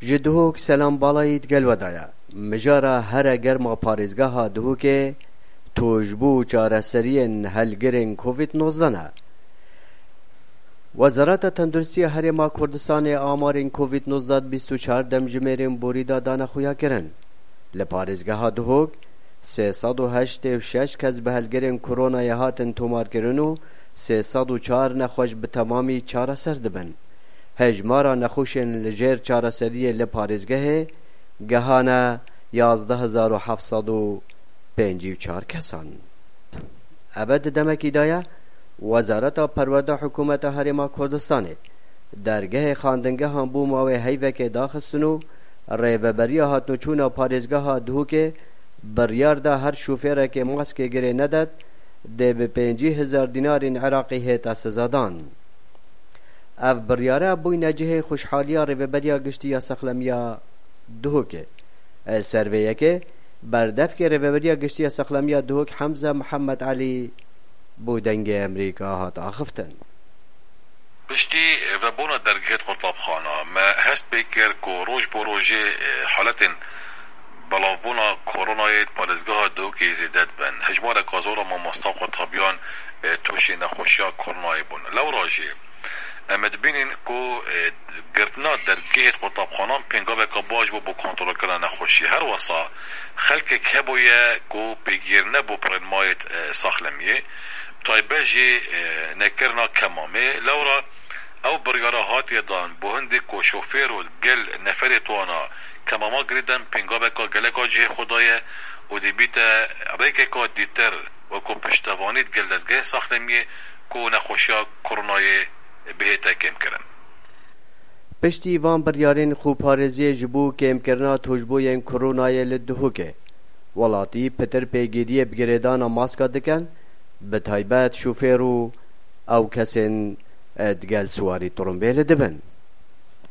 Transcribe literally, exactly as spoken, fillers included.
Ji Duhok Selam Balayî digel we de ye. Mijara here germa parêzgeha Duhokê tûjbû û çareseriyên helgirên Covid nozdeh ne. Wezareta Tenduristiya Herêma Kurdistanê amarên Covid nozdeh bîst û çar demjimêrên borî de dane xuyakirin. Li parêzgeha Duhok sê sed û heştê û şeş kes bi helgirên koronayê hatin tomarkirin û sê sed û çar nexweş bi temamî çareser dibin. Hejmara nexweşên li jêr çareseriyê li parêzgehê gehane yazdeh hezar û heft sed û pêncî û çar kesan. Eve di demekî de ye, Wezareta Perwerde Hikûmeta Herêma Kurdistanê dergehê xandingehan bo mawê heyvekê daxistin û rêveberiya hatnûçûna parêzgeha Duhokê biryar da her şofêrekê maskê girê nedet, dê bi pêncî hezar dînarên Iraqî hête sezadan. Ev biryare bûyne cihê xweşhaliya Rêveberiya Giştî ya Sexlemiya Duhokê. Li ser vê yekê, berdevkê Rêveberiya Giştî ya Sexlemiya Duhok Hemze Mihemed Elî bo Dengê Emerîka hat axiftin. Piştî vebûna dergehê di qutabxana, me hest pê kir ku roj bo rojê, e, haletên belavbûna koronayê di parêzgeha Duhokê zêde dibin. Hejmareka zor a mamosta qutabyan, e, tûşê nexweşiya koronayê bûn. Lewra jî em ê dibînin ku, e, girtina dergehê di qutabxanan pêngaveka baş bû bo kontrolkirina nexweşiyê. Her wesa xelkek hebûye ku pêgîr nebû pirên mayê, e, Saxlemiyê, taybet jî, e, nekirina kemamê. Lewra ew biryara hatiye dan bo hindê ku şofêr û gel neferê di wana kemama girêdan pêngaveka geleka cihê xwe daye û dibîte rêkeka dîtir wekû piştevanî di gel dezgehê Saxlemiyê ku nexweşiya koronayê bihête kêmkirin. Piştî van biryarên xweparêziyê ji bo kêmkirina tûjbûyên koronayê li Duhokê, welatî pitir pêgiriyê bi girêdana maska dikin, bi taybet şofêr û ew kesên, e, digel siwarî tirimbêlê dibin.